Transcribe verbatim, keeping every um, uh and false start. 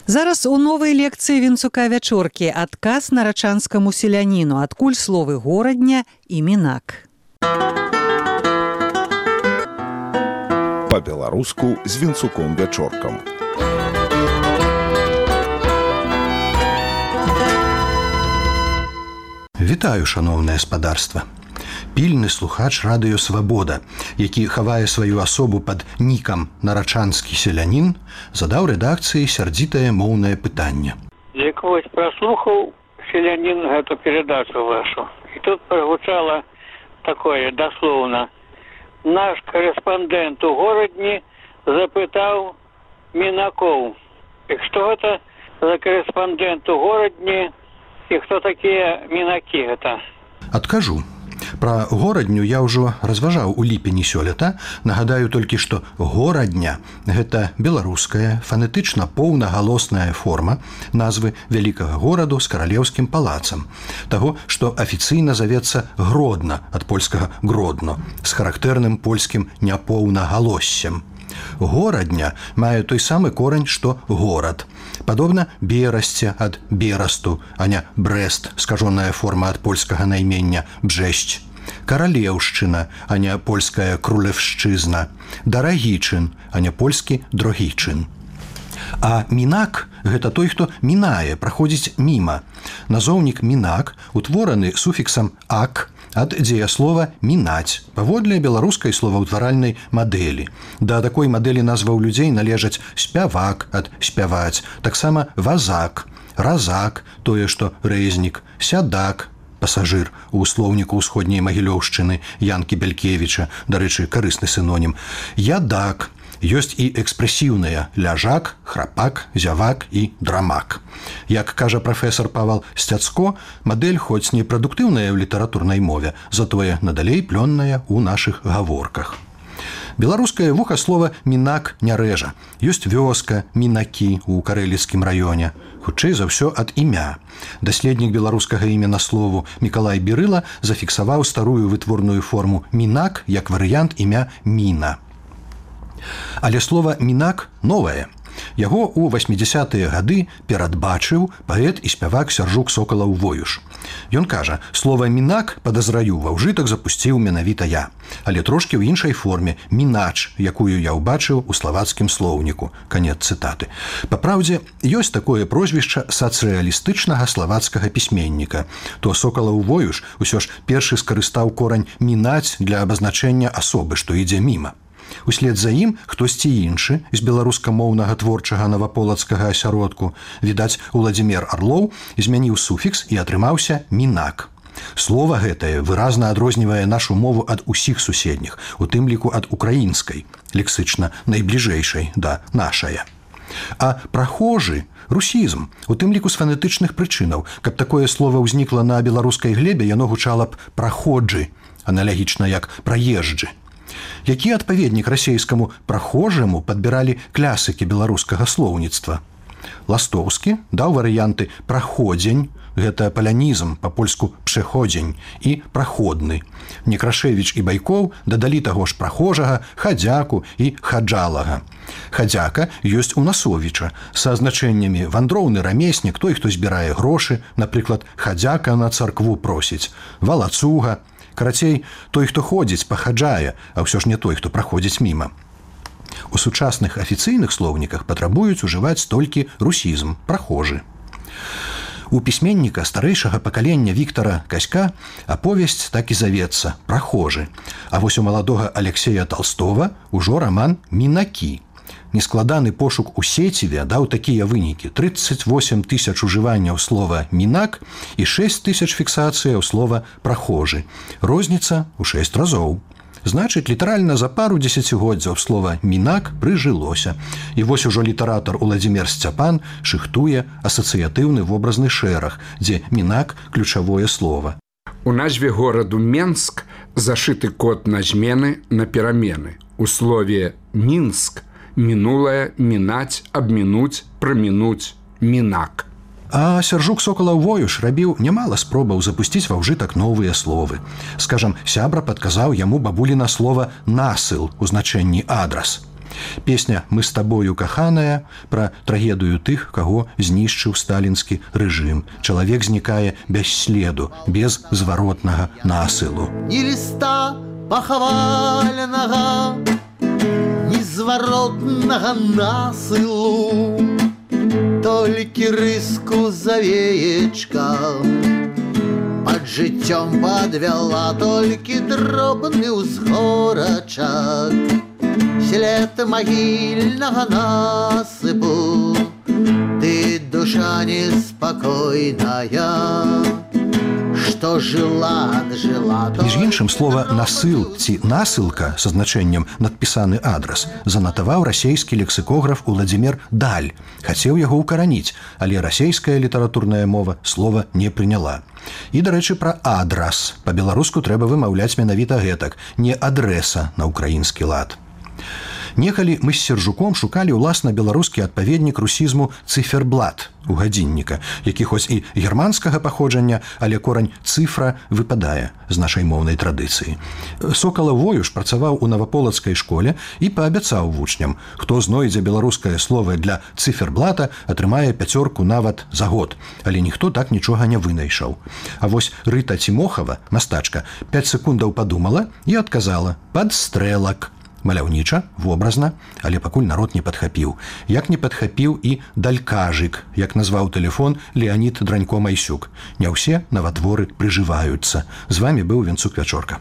Зараз у новай лекцыі Вінцука Вячоркі адказ нарачанскаму селяніну, адкуль словы горадня і мінак. Па-беларуску з Вінцуком Вячоркам. Вітаю, шаноўнае спадарства. Пільны слухач радыё «Свабода», які хавае сваю асобу пад нікам «Нарачанскі селянін», задаў рэдакцыі сярдзітае моўнае пытанне. Як вось праслухаў селянін гэту перадачу вашу, і тут прагучала такое даслоўна. Наш корэспандэнт у горадні запытаў мінакоў. І што гэта за корэспандэнт у горадні і хто такія мінакі гэта? Адкажу. Пра горадню я ўжо разважаў у ліпені сёлета. Нагадаю толькі, што горадня – гэта беларуская, фанетычна поўнагалосная форма назвы вялікага гораду з каралеўскім палацам, таго, што афіцыйна завецца Гродна, ад польскага Гродно, з характэрным польскім няпоўнагалоссем. Горадня мае той самы корань, што горад. Падобна Берасце ад Берасту, а не Брэст, скажоная форма ад польскага наймення Бжэсць. Каралеўшчына, а не польская Крулевшчызна. Дарагічын, а не польскі Дрогічын. А мінак – гэта той, хто мінае, праходзіць міма. Назоўнік мінак утвораны суфіксам «ак» ад дзеяслова «мінаць» паводле беларускай словаўтваральнай мадэлі. Да такой мадэлі назваў людзей належаць спявак ад спяваць, таксама вазак, разак, тое, што рэзнік, сядак, пасажыр у слоўніку ўсходняй Магілёўшчыны Янкі Бялькевіча, дарэчы, карысны сінонім, ядак. Ёсць і экспрэсіўныя ляжак, храпак, зявак і драмак. Як кажа прафесар Павал Сцяцко, мадэль хоць не прадуктыўная ў літаратурнай мове, затое надалей плённая ў нашых гаворках. Беларускае вухаслова «мінак» не рэжа. Ёсць вёска, мінакі ў карэліцкім раёне. Хутчэй за ўсё ад імя. Даследнік беларускага іменаслову Мікалай Бірыла зафіксаваў старую вытворную форму «мінак» як варыянт імя «міна». Але слова «мінак» новае. Яго ў васьмідзясятыя гады перадбачыў паэт і спявак Сяржук Сокалаў-Воюш. Ён кажа, слова «мінак», падазраю, ва ўжытак запусціў менавіта я, але трошкі ў іншай форме «мінач», якую я ўбачыў у славацкім слоўніку. Канец цытаты. Папраўдзе, ёсць такое прозвішча сацыялістычнага славацкага пісьменніка. То Сокалаў-Воюш усё ж першы скарыстаў корань «мінаць» для абазначэння асобы, што ідзе міма. Услед за ім хтосьці іншы з беларускамоўнага творчага наваполацкага асяродку, відаць, Уладзімір Арлоў, змяніў суфікс і атрымаўся «мінак». Слова гэтае выразна адрознівае нашу мову ад усіх суседніх, у тым ліку ад украінскай, лексычна найбліжэйшай да нашая. А прахожы – русізм, у тым ліку з фанетычных прычынаў. Каб такое слова ўзнікла на беларускай глебе, яно гучала б «праходжы», аналагічна як «праезджы». Які адпаведнік расейскаму «прахожаму» падбіралі клясыкі беларускага слоўніцтва. Ластоўскі даў варыянты «праходзень», гэта палянізм, па-польску «пшэходзень», і «праходны». Некрашевіч і Байкоў дадалі таго ж прахожага, хадзяку і хаджалага. Хадзяка ёсць у Насовіча са азначэннямі вандроўны рамеснік, той, хто збірае грошы, напрыклад, хадзяка на царкву просіць, валацуга. Карацей, той, хто ходзіць, пахаджае, а ўсё ж не той, хто праходзіць міма. У сучасных афіцыйных слоўніках патрабуюць ужываць толькі русізм, прахожы. У пісьменніка старэйшага пакалення Віктара Каська аповесць так і завецца «прахожы», а вось у маладога Алексея Толстого ўжо раман «мінакі». Нескладаны пошук у сеціве даў такія вынікі: тридцать восемь тысяч ужыванняў слова «мінак» і шесть тысяч фіксацыяў слова «прахожы». Розніца ў шесть разоў. Значыць, літаральна за пару дзесяцігоддзяў слова «мінак» прыжылося. І вось ужо літаратар Уладзімір Сцяпан шыхтуе асацыятыўны вобразны шэраг, дзе «мінак» – ключавое слова. У назве гораду Менск зашыты код на змены, на перамены. У слове «мінск» мінулае, мінаць, абмінуць, прамінуць, мінак. А Сяржук Сокалаў-Воюш рабіў нямала спробаў запусціць ва ўжытак новыя словы. Скажам, сябра падказаў яму бабуліна слова «насыл» у значэнні «адрас». Песня «Мы с тобою, каханая» пра трагедыю тых, каго знішчыў сталінскі рэжым. Чалавек знікае без следу, без зваротнага насылу. Ні ліста пахавальнага, ні зваротнага насылу, толькі рыску завеечка пад жыццём падвяла, толькі дробны ўзгорачак, след магільнага насыпу. Ты душа неспакойная, што жыла, жила. Між іншым, слова «насыл» ці «насылка» са значэннем «надпісаны адрас» занатаваў расейскі лексікограф Уладзімір Даль. Хацеў яго ўкараніць, але расейская літаратурная мова слова не прыняла. І, дарэчы, пра адрас. Па-беларуску трэба вымаўляць менавіта гэтак, не адрэса на ўкраінскі лад. Некалі мы з Сержуком шукалі ўласна беларускі адпаведнік русізму цыферблат у гадзінніка, які хоць і германскага паходжання, але корань цыфра выпадае з нашай моўнай традыцыі. Сокала Воюш працаваў у наваполацкай школе і паабяцаў вучням, хто знойдзе беларускае слово для цыферблата, атрымае пяцёрку нават за год, але ніхто так нічога не вынайшаў. А вось Рыта Цімохава, мастачка, пяць секундаў падумала і адказала «падстрэлак». Маляўніча, вобразна, але пакуль народ не падхапіў. Як не падхапіў і далькажык, як назваў тэлефон Леанід Дранько-Майсюк. Не ўсе наватворы прыжываюцца. З вамі быў Венцук Вячорка.